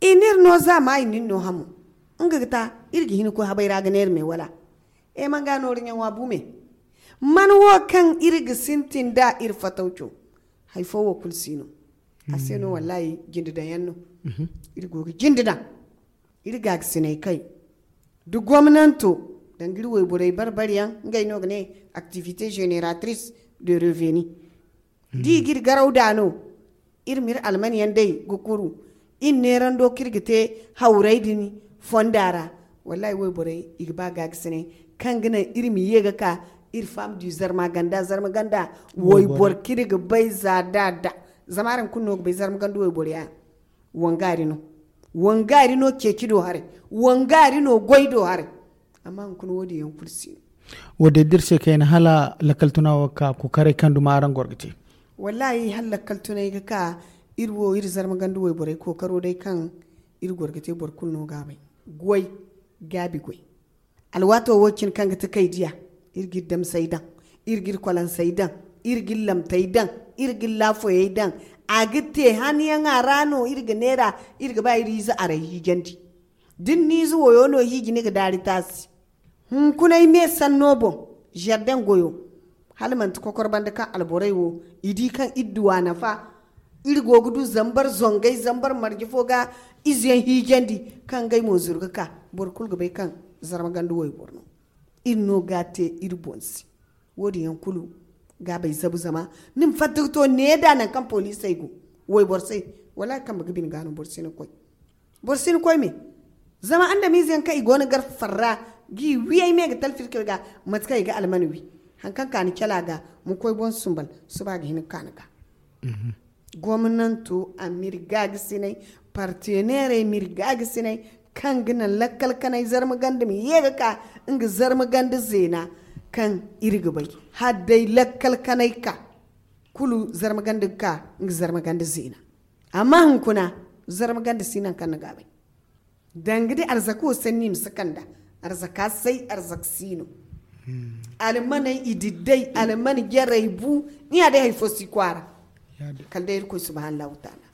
i na iri no za ma i na iri no hamo. Nga ga ta iri ga hin ga koy habay ra ga ne iri me wala? E man ga nooru ɲaŋo a bu me. Man wo kaŋ iri ga sintin da iri fatawco. Hari fo wo kulu si no. A se no wallahi jinde daŋ yaŋ no. Iri go ga jinde daŋ. Iri ga ga sinay kay da gomnanto danga iri wayborey barbari yaŋ, ngey no ga ne activité génératrice de revenu. Da i ga iri garaw da no, iri ma iri almani yaŋ day ga kuru. Iri neerando kaŋ iri ga te hawray din fonda ra. Wallahi wayborey i ga ba ga ga sinay kaŋ ga naŋ iri ma ye ga ka iri fam du zarma ganda zarma ganda. Waybor kaŋ iri ga bay za da da zama araŋ kulu no ga bay zarma ganda waybor ya. Wangari no wangari no ceeci do haray. Wangari no goy do haray. Amma hunkuna wo- din yaŋ kulu si no. Wo- din da iri se kayna hala lakkal tuna wo ga ka kokaray kaŋ duma araŋ goro ga te. Wallahi hala lakkal tunay ga ka iri wo iri zarma ganda wayborey kookaro day kaŋ iri goro ga te boro kulu no ga a bay. Goy gaabi goy. Alwaato wo- cine kaŋ ga ti kay diya, iri ga iri damsey daŋ, iri ga iri kolansey daŋ, iri ga iri lamtey daŋ, iri ga iri laafoyey daŋ. A ga te haniyaŋa ra no iri ga neera. Iri ga ba iri ize aray hiijandi. Da ni na ize woyo no hiiji ni ga daari taasi. Hunkuna ay me sanno boŋ, zarden goyo, hala manti kokor banda kaŋ alborey wo i di kaŋ iri duwa nafa. Iri go ga du zambar zongay zambar marje fo ga izeyaŋ hiijandi kaŋ ngey mo zuru ga ka. Boro kulu ga bay kaŋ zarma ganda wayboro no. Iri no ga a te iri boŋ se. Wo- din yaŋ kulu ga bay zabu zama ni ma fatta ga to ne da nangu kaŋ poliisey go wayboro se. Wala kambe ga bine ga no boro si na koy. Boro si ni koy me. Zama andamiize yaŋ kaŋ i go no gar farra ga i wiyey me ga talfir kay ga. Mate kaŋ i ga almani wi hari kaŋ ka ni cala ga ma koy boŋ sumbal suba ga hin ga ka ni ga. Gomnanto a ma iri gaagasinay. Parteneerey ma iri gaagasinay kaŋ ga naŋ lakkal kanay zarma ganda ma ye ga ka nga zarma ganda zeena kaŋ iri ga bay. Hala day lakkal kanay ka kulu zarma ganda ga ka nga zarma ganda zeena. Amma hunkuna zarma ganda si nangu kaŋ ni ga a bay. Danga da arzaka wo sanni i ma si kanda. Arzaka say arzaka si no. Almaney i diddey almani jarey bu. Ni ya day hari fo si kwaara. Kala day irkoy subhanahu wa taala.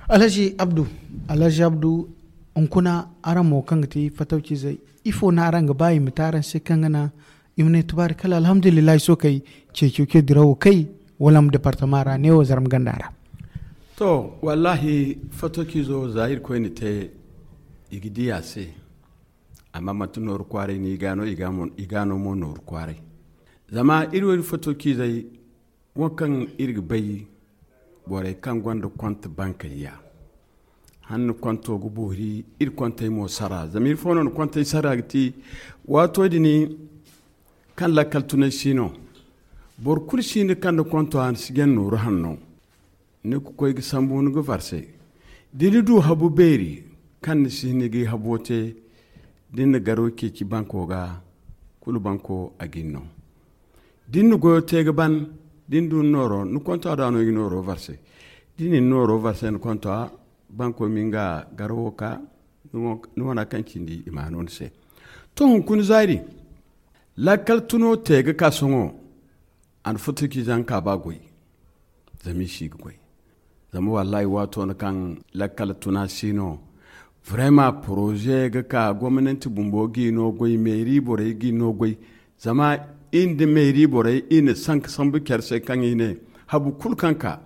Alhaji abdu, alhaji abdu, hunkuna araŋ mo kaŋ ga ti fatawcizey, ifo no araŋ ga ba i ma te araŋ se kaŋ ga naŋ i ma ne tubaari kala alhamdulillahi sookay ceeco ce dirawo kay? Wala ma departama ra neewo zarma ganda ra. To, wallahi, fatawcizo za irkoy na te i ga di a se. Amma manti nooru kwaaray no i ga no i ga no mo nooru kwaaray. Zama iri wo iri fatawcizey wo kaŋ iri ga bay borey kaŋ gonda konta bankey ya. Hanna konto ga boori iri kontey mo sara zama iri fo no na kontey sara ga ti. Waato din kaŋ lakkal tunay si no. Boro kulu si ni kaŋ na konto a na si jaŋ nooru hanno. Ni ga koy ga sambu ni ga varse da ni du habu beeri kaŋ ni si hin ga habo te. Da ni na garo ceeci banko ga kulu banko a ga ni no. Da ni na goyo te ga ban da ni du ni nooro ni konto a da no i ga nooro varse. Da ni na nooro varse ni konto a banko ma nga garo wo ka ni wana kaŋ cindi i ma no ni se. To hunkuna zaari lakkal tuno te ga ka sohõ. A na futuki zanka ba goy zama i si ga goy. Zama wallahi waato no kaŋ lakkal tuna si no. Vraiment projet ga ka gomnanti bumbo ga i no goy meeri borey ga i no goy. Zama i nda meeri borey i na sanka sambu care se kaŋ i ne habu kulu kaŋ ka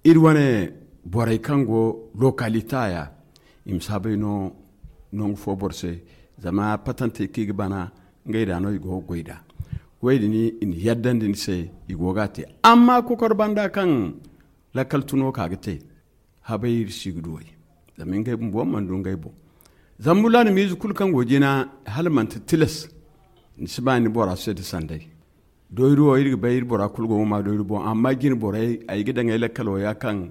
iri wane borey kaŋ go lokalita ya i ma saabay no nangu fo boro se. Zama patante kaŋ i ga bana ngey da no i go ga goy da. Wo- din i na yaddandi ni se i go ga a te. Amma kokor banda kaŋ lakkal tuno ka ga te habay iri si ga duwey. Zama ngey bumbo mana du ngey boŋ. Zama mulaana miize kulu kaŋ go jina hala manti tilas ni si ba ni bora se da sanday. Doyri wo iri ga bay iri bora kulu go ga ma doyri boŋ amma jine borey ay ga daŋ ay lakkalo ya kaŋ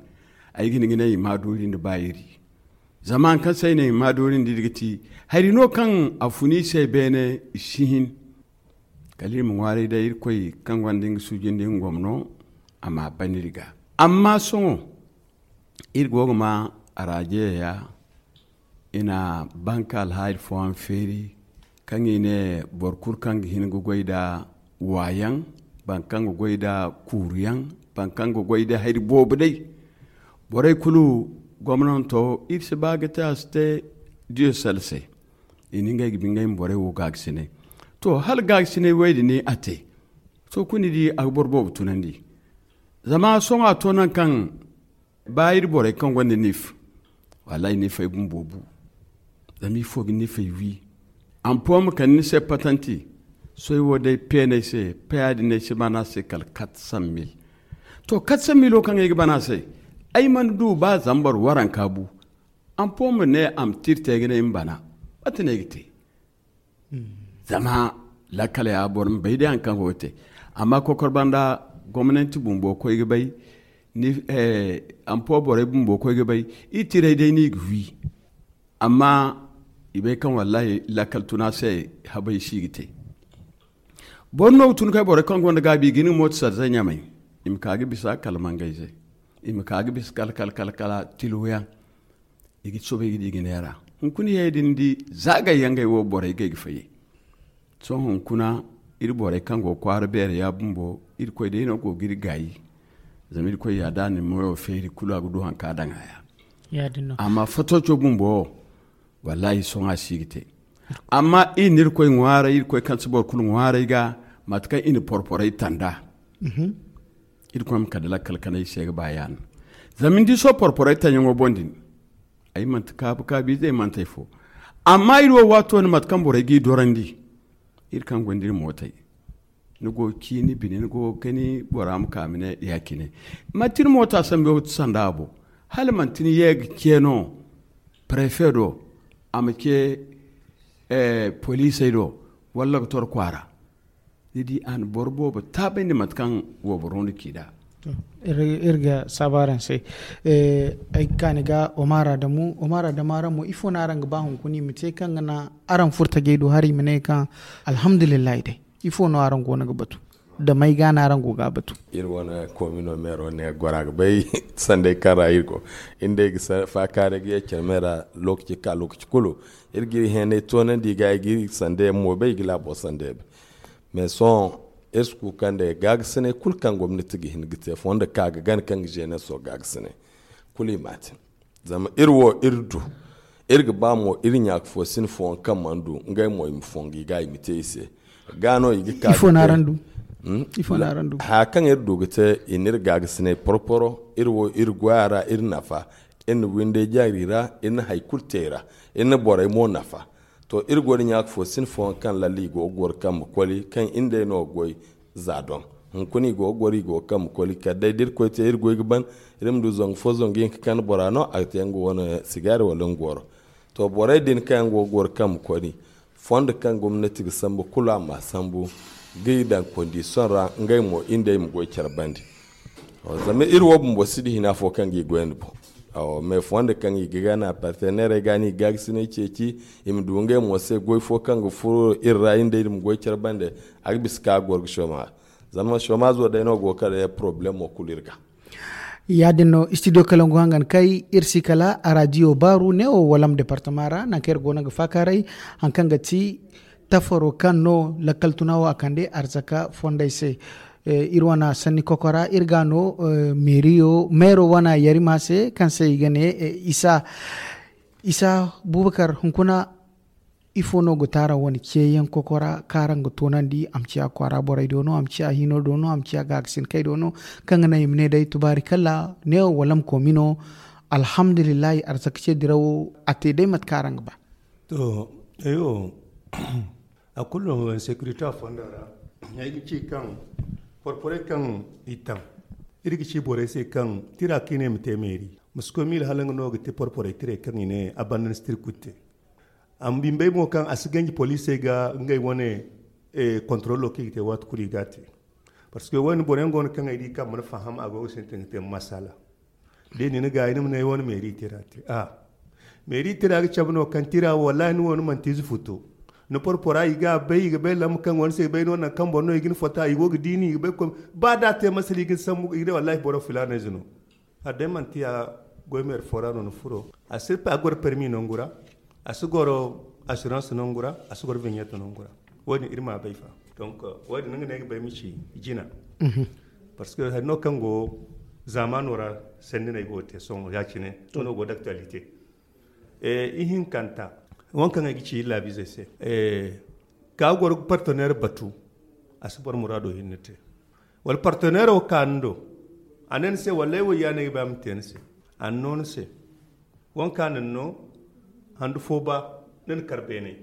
ay ga ni ga ne i ma doyri nda ba iri. Zama hari kaŋ se ay ne i ma doyri nda iri ga ti hari no kaŋ a fun i se beene i si hin. Kala iri ma ŋwaaray day irkoy kaŋ gonda nga suuji nda nga gomno a ma ban iri ga. Amma sohõ iri go ga ma arajeya ya i na banka alhaali fooyaŋ feeri kaŋ i ne boro kulu kaŋ ga hin ga goy nda waayaŋ, boro kaŋ ga goy nda kuuruyaŋ, boro kaŋ ga goy nda hari boobo day. Borey kulu gomnanto iri si ba ga te a si te diyo sel se. I na ngey ga bi ngey ma borey wo gaagasinay. To hala gaagasinay wo ay din a te. To kulu ni di a ga boro boobo tunandi. Zama sohõ a to naŋ kaŋ ba iri borey kaŋ gonda nif, wallahi nifey bumbo bu. Zama ifo ga nifey wi? Ampo ma kande ni se patanti. Soy wo day peenay se, paya din ay si bana se kala quatre cent mille. To, quatre cent mille wo kaŋ ay ga bana se, ay mana du ba zambar waranka bu. Ampo ma ne a ma tirte ga ne ay ma bana. Mate no ay ga te? Zama lakkal ya boro ma bay day haŋ kaŋ go ga te. Amma kokor banda gomnanti bumbo koy ga bay, ni ampo borey bumbo koy ga bay. I tiray day no i ga wi. Amma i bay kaŋ wallahi lakkal tuna se habay si ga te. Boro no ga tun kay borey kaŋ gonda gaabi i ga hin ga mooto sarze ɲamay. I ma ka ga bisa kala mangayze. I ma ka ga bisa kala kala kala kala tiluyaŋ. I ga soobay ga di ga neera. Hunkuna yay din di zaagay yaŋ gay wo borey gay ga fayyay. Sohõ hunkuna iri borey kaŋ go kwaara beere ya bumbo, irkoy day no go ga iri gaayi. Zama irkoy ya da ni moyo feeri kulu a ga du haŋ ka daŋ a ya. Amma fatoco bumbo wo, wallahi sohõ a si ga te. Amma iri na irkoy ŋwaaray, irkoy kaŋ si boro kulu ŋwaaray ga, mate kaŋ i na porporey tanda. Irkoy ma kande lakkal kanay se ga ba yaana. Zama ni di sohõ porporey tanyaŋo boŋ din, ay manti kaabu kaabu ize, ay manti ay fo. Amma iri wo waato ni mate kaŋ borey g'i dorandi, iri kaŋ gonda iri mootey, ni go ga ci ni bine, ni go ga kani bora ma ka ma ne ya cine. Manti ni moota sambu sanda a boŋ. Hala manti ni ye ga ce no prefe do, a ma ce poliisey do, walla ga tor kwaara. Ni di a na boro boobo taabandi mate kaŋ wayboro no ci nd'a. Iri ga saabu araŋ se. Ay ga kaani ga omar adamu omar adamu araŋ mo ifo no araŋ ga ba hunkuna i ma te kaŋ ga na araŋ furtajey do hari i ma ne kaŋ alhamdulillahi day. Ifo no araŋ go no ga batu? Da may ga no araŋ go ga a batu? Iri wane komino meero ne gora ga bay sandey kaŋ ra iri go. Iri day ga faakaaray ga ye care me ra. Lookaci ka lookaci kulu iri ga iri heenay toonandi ga i ga iri sande yaŋ mo bay i ga laabo sande yaŋ bay. Mais sohõ iri si kuukandi gaagasinay kulu kaŋ gomnati ga hin ga te fondo ka ga gana kaŋ ga jeunesse o gaagasinay kulu i ma a te. Zama iri wo iri du iri ga ba mo iri ɲaaka fo sine fooyaŋ kaŋ mana du ngey mo i ma fongu i ga i ma te i se. Ga no i ga ka ifo no araŋ du? Ifo no araŋ du? Haya kaŋ iri du ga te i na iri gaagasinay porporo iri wo iri goya ra iri nafa. Iri na windey jaari ra iri na hari kulu te i ra. Iri na borey mo nafa. To iri go da ɲaaka fo sine fooyaŋ kaŋ lalle i go ga goro kaŋ ma koli kaŋ iri nd'ey no ga goy. Za doŋ hunkuna i go ga goro i go ga kaŋ ma koli kala day da iri koy te iri goy ga ban. Iri ma du zangu fo zangu hinka kaŋ bora no a ga te nga wane sigaari wala nga goro. To borey din kaŋ yaŋ go ga goro kaŋ ma koli fondo kaŋ gomnati ga sambu kulu a ma sambu ga i daŋ kondisiyoŋ ra ngey mo iri nd'ey ma goy care bande. Zama iri wo bumbo si di hina fo kaŋ ga i goyandi boŋ. Awo mais fondo kaŋ i ga gana partenairey ga no i gaagasinay ceeci i ma du ngey mo se goy fo kaŋ ga furo iri ra iri nd'ey iri ma goy care bande. A ga bisa ka goro ga chômage. Zama chômage wo day no go ga kala problemo kulu iri ga. Ya-din no studio kalangu hangan kay iri si kala a radio baaru ne wo walam departement ra nangu kaŋ iri go no ga faakaaray haŋ kaŋ ga ti tafaro kaŋ no lakkal tuna wo a kande arzaka fondey se. Iri wane sanni kokora iri ga no meeriyo meero wane yarima se kaŋ se i ga ne isa isa bubakar hunkuna. Ifo no ga taara wane ceeyaŋ kokora kaŋ araŋ ga toonandi a ma ciya kwaara borey do no a ma ciya hino do no a ma ciya gaagasinakey do no kaŋ ga naŋ i ma ne day tubaari kala ne wala ma komi no. Alhamdulillahi arzaka ce dirawo a te day mate kaŋ araŋ ga ba. To eyo a kulu no insécurité a fonda ra. Ay ga ci kaŋ porporey kaŋ i taŋ iri ga ci borey se kaŋ tira kaŋ i ne i ma te meeri ma si koy miila hala nga no ga te porporey tirey kaŋ i ne a banda ni si tira kulu te. Amma bimbey mo kaŋ a si ganji poliisey ga ngey wane kontorolo kaŋ i ga te waati kulu i ga a te. Parce que wayne boro yaŋ go no kaŋ ay di kaŋ mana faham a go ga sintin ga te masala. Da i na ni gaayi ni ma ne ay wane meeri tira te a meeri tira ga cabe no kaŋ tira wallahi ni wo ni manti ize futo. Ni porpora i ga a bay i ga bay lamba kaŋ go ni se i bay no nangu kaŋ boro no i ga ni fota i go ga di ni i ga bay ba da a te masala i ga ni sambu i ga ne wallahi boro filaana ize no. Adday manti ya goy meeri fo ra no ni furo a si goro permi nangu ra. A si goro assurance nangu ra a si goro vignette nangu ra. Wo- din iri ma a bay fa. Donc wo- din nga no ay ga bay ma ci jina. Parce que hari no kaŋ go zaamaano ra sanni no ay go ga te sohõ ya- cine wo no go d'actualité. Ihinkanta wo- din kaŋ ay ga ci iri laabiizey se ka goro ga partenaire batu. A si boro muraado hinne te wala partenaire wo ka ni do A ne ni se, wallay wo ya no ay ga ba ay ma te ni se. A na no ni se. Wanka na ni no handu fo ba, ni na kar beenay.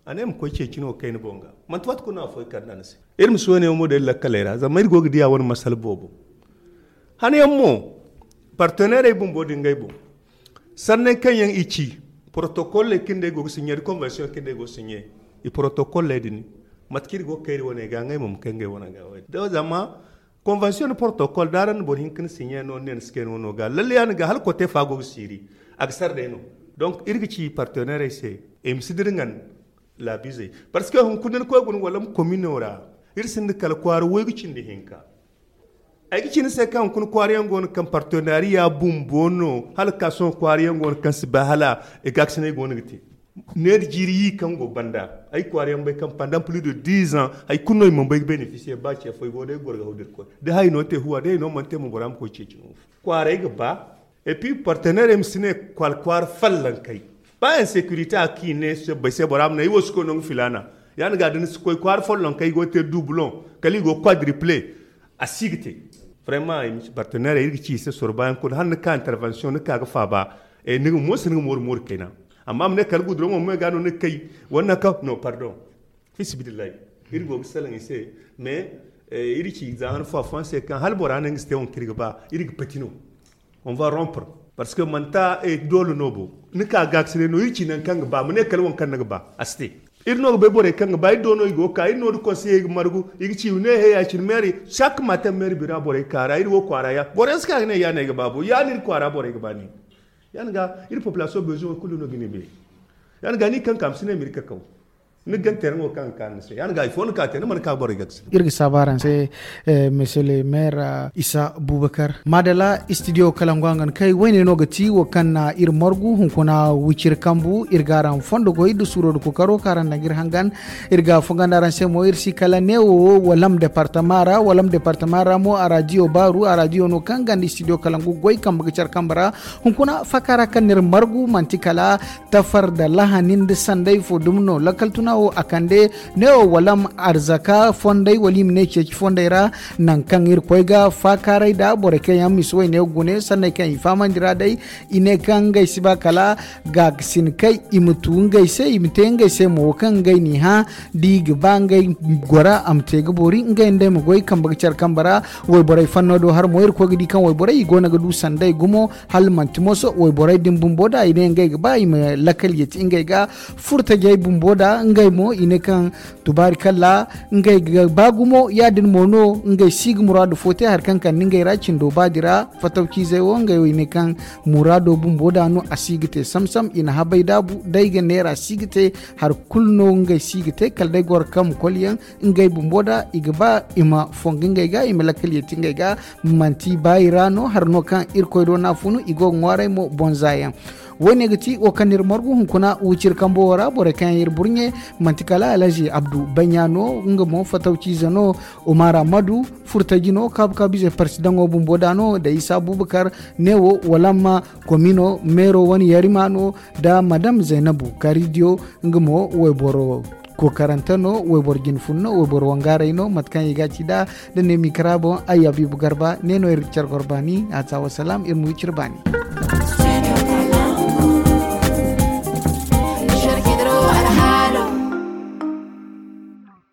A ne ma koy ceeci no kayna boŋ ga. Manti waati kulu no a foy kar na ni se. Iri ma si wane yaŋ mo day lakkaley ra zama iri go ga diya wane masala boobo. Hane yaŋ mo, parteneerey bumbo din ngey boŋ. Sanney kaŋ yaŋ i ci, protocole kaŋ day go ga sinye da convention kaŋ day go ga sinye, i protocole din, mate kaŋ iri go ga kayri wane ga ngey mo ma kay ngey wane ga. Zama convention da protocole da araŋ na boro hinka ni sinye no ne ni si kay no no ga lalle ya ni ga hala kote fa go ga siiri. A ga sar day no. Donc iri ga ci partenairey se, i ma si dira ngan laabizey. Parce que hunkuna ni koy guna wala ma komino ra, iri sinda kala kwaara woy ga cindi hinka. Ay ga ci ni se kaŋ hunkuna kwaara yaŋ go no kaŋ partenariya bumbo no hala ka sohõ kwaara yaŋ go no kaŋ si bay hala i ga ga sinay go no ga te. Ne da jiiri yi kaŋ go banda ay kwaara yaŋ bay kaŋ pandan plus de dix ans hay kulu no i mana bay ga bénéficier ba ce fo ay go day goro ga haw da iri koy da hay no te huwa day no mana te mo bora ma koy ceeci no. Kwaaray ga ba. Et puis partenaire ma si ne kwal kwaara fallan kay ba insécurité a ki ne se bay se bora ma ne ay wo si koy no ga filana. Ya ni ga da ni si koy kwaara fallan kay go te doublon kala i go quadruple. A si ga te. Vraiment partenaire iri ga ci i se soro bayan kulu hala ni ka intervention ni ka ga faaba. Ni ga mo si ni ga moori moori kayna. Amma ma ne kala guduro mo me ga no ni kay. Wannan ka no pardon. Fisibidillahi. Iri go ga salaŋ i se. Mais iri ci za han fo afan se kaŋ hala bora ne nga si te wo kaŋ iri ga ba iri ga pati no. On va rompre. Parce que manta doole no bo ni ka ga ga si ne no iri ci nan kaŋ ga ba ma ne kala wo kaŋ ni ga ba a si te. Iri no ga bay borey kaŋ ga ba iri do no i go ga ka iri no da konseyey ga margu. I ga ci ne he ya cine meeri. Sakka ma taŋ meeri bira borey ga ka ra iri wo kwaara ya borey si ka ga ne ya no ay ga ba bo ya no iri kwaara borey ga ba ne. Ya ni ga iri population bezoin kulu no ga ni bay. Ya ni ga ni kaŋ ka ma si ne ma iri kakaw. Ni ga gante yaŋ wo kaŋ ga kaanu ni se ya ni ga ifo ni ka te ni mana ka borey ga ga si ne. Iri ga saabu araŋ se. Monsieur le maire isa bubakar madala studio kalangu a ga ni kay wayne no ga ti wo kaŋ na iri margu hunkuna wiciri kambu iri ga araŋ fondo goy da suuro da kokaro kaŋ araŋ daŋ ga iri hangan. Iri ga fongandi araŋ se mo iri si kala neewo walam departama ra walam departama ra mo a radio baaru a radio no kaŋ ganda studio kalangu goy kambe ga care kambe ra. Hunkuna faaka ra kaŋ n'iri margu manti kala tafar da lahani nda sanday fo dumi no lakkal tuna wo a kande. Neewo walam arzaka fonday wala i ma ne ceeci fonday ra. Nangu kaŋ iri koy ga faakaaray da borey kaŋ yaŋ misi wayne ga gune sanney kaŋ i fahamandi ra day. I ne kaŋ ngey si ba kala gaakasin kay i ma tu ngey se i ma te ngey se mo wo kaŋ ngey n'i hã da i ga ba ngey gora a ma te ga boori ngey nd'ey ma goy kambe ga care kambe ra. Wayborey fanno do har mo iri koy ga di kaŋ wayborey i go no ga du sanday gumo. Hala manti moso wayborey din bumbo da i ne ngey ga ba i ma lakkal yeti ngey ga. Furtajey bumbo da ngey mo i ne kaŋ tubaari kalla ngey ga ba gumo ya- din mo no ngey si ga muraadu fo te hari kaŋ kande ngey ra cindo baadi ra. Fatawciizey wo ngey wo i ne kaŋ muraado bumbo da no a si ga te samsam i na habay daabu day ga neera si ga te. Hari kulu no ngey si ga te kala day goro kaŋ ma kolyaŋ ngey bumbo da i ga ba i ma fongu ngey ga i ma lakkal yeti ngey ga. Manti baayi ra no hari no kaŋ irkoy do no a funu i go ga ŋwaaray mo bonza yaŋ. Wo- ne ga ti wo kaŋ n'iri margu hunkuna wiciri kambo wo ra borey kaŋ yaŋ iri burɲe. Manti kala alhazi abdu baɲa no nga mo fatawciize no. Umar ahmadu furtaji no kaabu kaabu ize parsidaŋo bumbo da no da isa abubakar. Neewo wala amma komino meero wane yarima no da madam zaynabu karidiyo. Nga mo wayboro kokarante no wayboro jinfun no wayboro wangaarey no mate kaŋ i ga ci nd'a. Da ne mikra boŋ ay abibu garba ne no iri ga care goro baani a ta wasalaam iri ma wiciri baani.